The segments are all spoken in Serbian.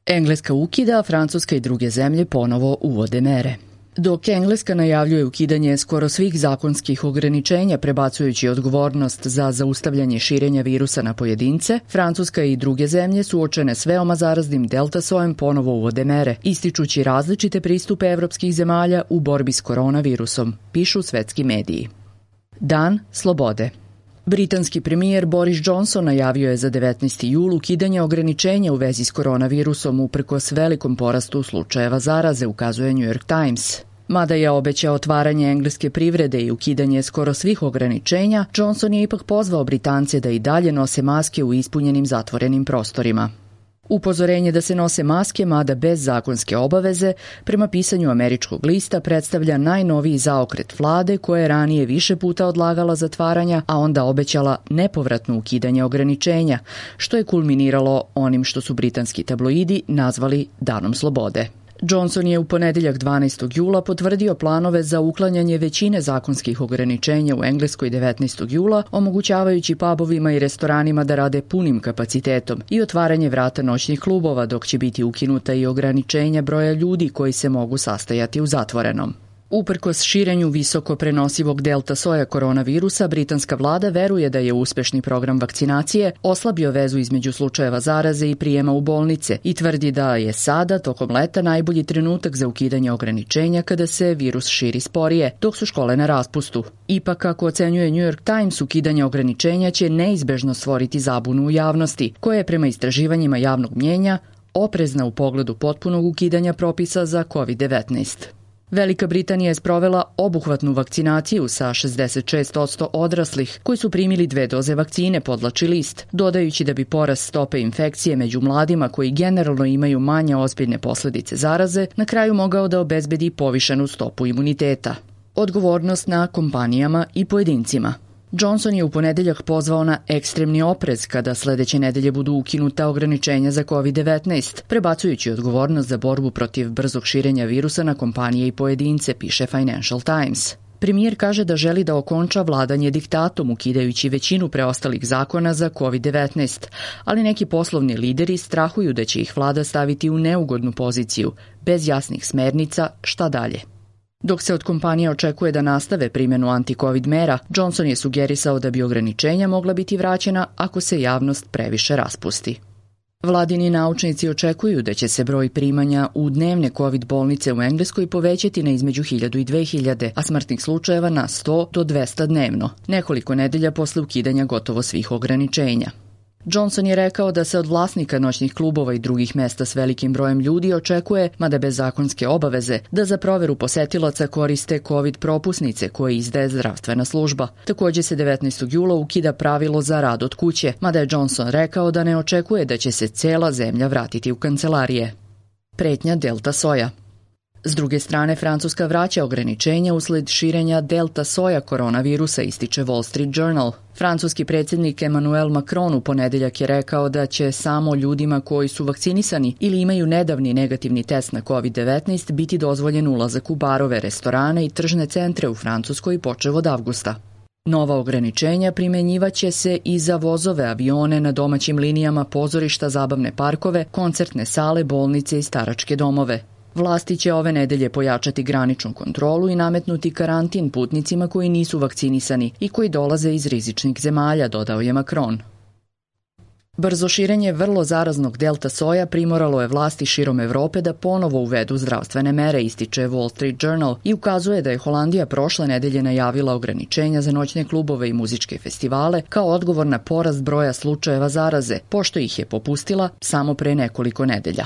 Engleska ukida, a Francuska i druge zemlje ponovo uvode mere. Dok Engleska najavljuje ukidanje skoro svih zakonskih ograničenja prebacujući odgovornost za zaustavljanje širenja virusa na pojedince, Francuska i druge zemlje suočene s veoma zaraznim delta sojem ponovo uvode mere, ističući različite pristupe evropskih zemalja u borbi s koronavirusom, pišu svetski mediji. Dan slobode. Britanski premijer Boris Johnson najavio je za 19. jul ukidanje ograničenja u vezi s koronavirusom uprkos velikom porastu slučajeva zaraze, ukazuje New York Times. Mada je obećao otvaranje engleske privrede i ukidanje skoro svih ograničenja, Johnson je ipak pozvao Britance da i dalje nose maske u ispunjenim zatvorenim prostorima. Upozorenje da se nose maske, mada bez zakonske obaveze, prema pisanju američkog lista predstavlja najnoviji zaokret vlade koja je ranije više puta odlagala zatvaranja, a onda obećala nepovratno ukidanje ograničenja, što je kulminiralo onim što su britanski tabloidi nazvali Danom slobode. Johnson je u ponedeljak 12. jula potvrdio planove za uklanjanje većine zakonskih ograničenja u Engleskoj 19. jula, omogućavajući pubovima i restoranima da rade punim kapacitetom i otvaranje vrata noćnih klubova, dok će biti ukinuta i ograničenja broja ljudi koji se mogu sastajati u zatvorenom. Uprkos širenju visoko prenosivog delta soja koronavirusa, britanska vlada veruje da je uspešni program vakcinacije oslabio vezu između slučajeva zaraze i prijema u bolnice i tvrdi da je sada, tokom leta, najbolji trenutak za ukidanje ograničenja kada se virus širi sporije, dok su škole na raspustu. Ipak, kako ocenjuje New York Times, ukidanje ograničenja će neizbežno stvoriti zabunu u javnosti, koja je prema istraživanjima javnog mnjenja oprezna u pogledu potpunog ukidanja propisa za COVID-19. Velika Britanija je sprovela obuhvatnu vakcinaciju sa 66% odraslih koji su primili 2 doze vakcine, podvlači list, dodajući da bi porast stope infekcije među mladima koji generalno imaju manje ozbiljne posledice zaraze na kraju mogao da obezbedi povišenu stopu imuniteta. Odgovornost na kompanijama i pojedincima. Johnson je u ponedeljak pozvao na ekstremni oprez kada sledeće nedelje budu ukinuta ograničenja za COVID-19, prebacujući odgovornost za borbu protiv brzog širenja virusa na kompanije i pojedince, piše Financial Times. Premijer kaže da želi da okonča vladanje diktatom, ukidajući većinu preostalih zakona za COVID-19, ali neki poslovni lideri strahuju da će ih vlada staviti u neugodnu poziciju, bez jasnih smernica šta dalje. Dok se od kompanija očekuje da nastave primjenu anti-covid mera, Johnson je sugerisao da bi ograničenja mogla biti vraćena ako se javnost previše raspusti. Vladini naučnici očekuju da će se broj primanja u dnevne COVID bolnice u Engleskoj povećati na između 1000 i 2000, a smrtnih slučajeva na 100 do 200 dnevno, nekoliko nedelja posle ukidanja gotovo svih ograničenja. Johnson je rekao da se od vlasnika noćnih klubova i drugih mesta s velikim brojem ljudi očekuje, mada bez zakonske obaveze, da za proveru posetilaca koriste COVID propusnice koje izdaje zdravstvena služba. Takođe se 19. jula ukida pravilo za rad od kuće, mada je Johnson rekao da ne očekuje da će se cela zemlja vratiti u kancelarije. Pretnja delta soja. S druge strane, Francuska vraća ograničenja usled širenja delta soja koronavirusa, ističe Wall Street Journal. Francuski predsjednik Emmanuel Macron u ponedeljak je rekao da će samo ljudima koji su vakcinisani ili imaju nedavni negativni test na COVID-19 biti dozvoljen ulazak u barove, restorane i tržne centre u Francuskoj počev od avgusta. Nova ograničenja primenjivaće se i za vozove, avione na domaćim linijama, pozorišta, zabavne parkove, koncertne sale, bolnice i staračke domove. Vlasti će ove nedelje pojačati graničnu kontrolu i nametnuti karantin putnicima koji nisu vakcinisani i koji dolaze iz rizičnih zemalja, dodao je Macron. Brzo širenje vrlo zaraznog delta soja primoralo je vlasti širom Evrope da ponovo uvedu zdravstvene mere, ističe Wall Street Journal i ukazuje da je Holandija prošle nedelje najavila ograničenja za noćne klubove i muzičke festivale kao odgovor na porast broja slučajeva zaraze, pošto ih je popustila samo pre nekoliko nedelja.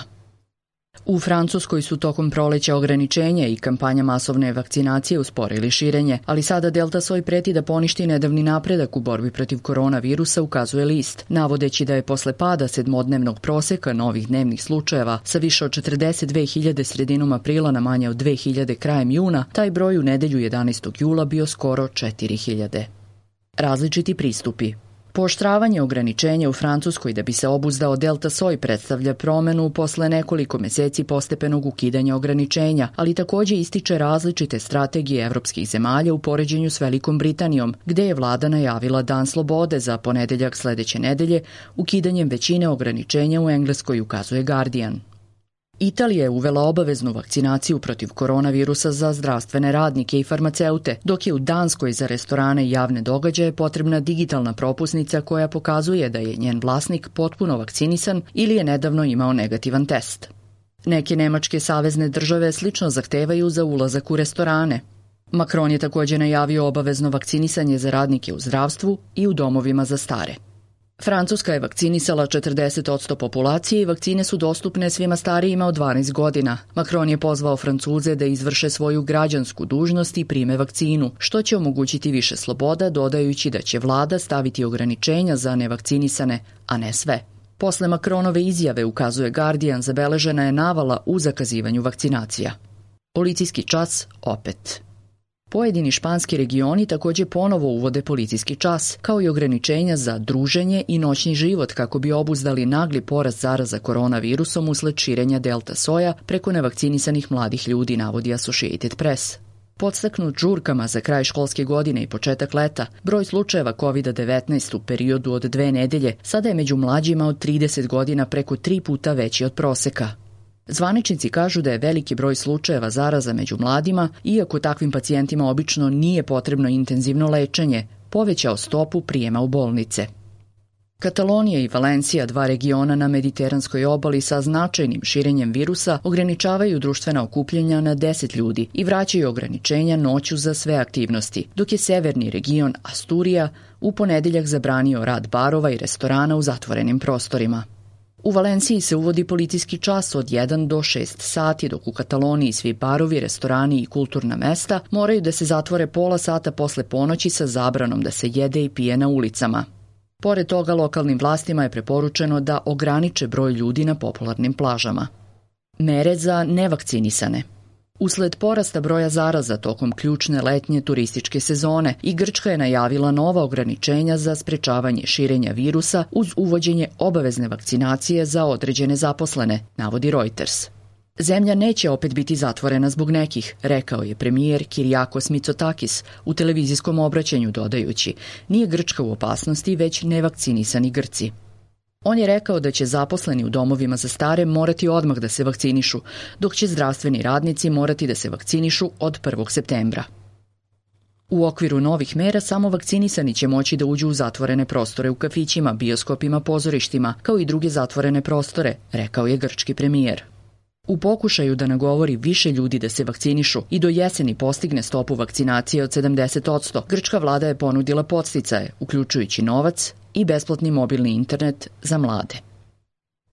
U Francuskoj su tokom proleća ograničenja i kampanja masovne vakcinacije usporili širenje, ali sada delta soj preti da poništi nedavni napredak u borbi protiv koronavirusa, ukazuje list, navodeći da je posle pada 7-dnevnog proseka novih dnevnih slučajeva sa više od 42.000 sredinom aprila na manje od 2.000 krajem juna, taj broj u nedelju 11. jula bio skoro 4.000. Različiti pristupi. Pooštravanje ograničenja u Francuskoj da bi se obuzdao delta soj predstavlja promenu posle nekoliko meseci postepenog ukidanja ograničenja, ali takođe ističe različite strategije evropskih zemalja u poređenju s Velikom Britanijom, gde je vlada najavila Dan slobode za ponedeljak sledeće nedelje ukidanjem većine ograničenja u Engleskoj, ukazuje Guardian. Italija je uvela obaveznu vakcinaciju protiv koronavirusa za zdravstvene radnike i farmaceute, dok je u Danskoj za restorane i javne događaje potrebna digitalna propusnica koja pokazuje da je njen vlasnik potpuno vakcinisan ili je nedavno imao negativan test. Neke nemačke savezne države slično zahtevaju za ulazak u restorane. Macron je također najavio obavezno vakcinisanje za radnike u zdravstvu i u domovima za stare. Francuska je vakcinisala 40% populacije i vakcine su dostupne svima starijima od 12 godina. Macron je pozvao Francuze da izvrše svoju građansku dužnost i prime vakcinu, što će omogućiti više sloboda, dodajući da će vlada staviti ograničenja za nevakcinisane, a ne sve. Posle Macronove izjave, ukazuje Guardian, zabeležena je navala u zakazivanju vakcinacija. Policijski čas opet. Pojedini španski regioni također ponovo uvode policijski čas, kao i ograničenja za druženje i noćni život kako bi obuzdali nagli porast zaraza koronavirusom usled širenja delta soja preko nevakcinisanih mladih ljudi, navodi Associated Press. Podstaknut žurkama za kraj školske godine i početak leta, broj slučajeva COVID-19 u periodu od 2 nedelje sada je među mlađima od 30 godina preko 3 puta veći od proseka. Zvaničnici kažu da je veliki broj slučajeva zaraza među mladima, iako takvim pacijentima obično nije potrebno intenzivno lečenje, povećao stopu prijema u bolnice. Katalonija i Valencija, 2 regiona na mediteranskoj obali sa značajnim širenjem virusa, ograničavaju društvena okupljanja na 10 ljudi i vraćaju ograničenja noću za sve aktivnosti, dok je severni region Asturija u ponedeljak zabranio rad barova i restorana u zatvorenim prostorima. U Valenciji se uvodi policijski čas od 1 do 6 sati, dok u Kataloniji svi barovi, restorani i kulturna mesta moraju da se zatvore pola sata posle ponoći sa zabranom da se jede i pije na ulicama. Pored toga, lokalnim vlastima je preporučeno da ograniče broj ljudi na popularnim plažama. Mere za nevakcinisane. Usled porasta broja zaraza tokom ključne letnje turističke sezone i Grčka je najavila nova ograničenja za sprečavanje širenja virusa uz uvođenje obavezne vakcinacije za određene zaposlene, navodi Reuters. Zemlja neće opet biti zatvorena zbog nekih, rekao je premijer Kyriakos Mitsotakis u televizijskom obraćanju, dodajući: nije Grčka u opasnosti, već nevakcinisani Grci. On je rekao da će zaposleni u domovima za stare morati odmah da se vakcinišu, dok će zdravstveni radnici morati da se vakcinišu od 1. septembra. U okviru novih mera samo vakcinisani će moći da uđu u zatvorene prostore u kafićima, bioskopima, pozorištima, kao i druge zatvorene prostore, rekao je grčki premijer. U pokušaju da nagovori više ljudi da se vakcinišu i do jeseni postigne stopu vakcinacije od 70%, grčka vlada je ponudila podsticaje, uključujući novac i besplatni mobilni internet za mlade.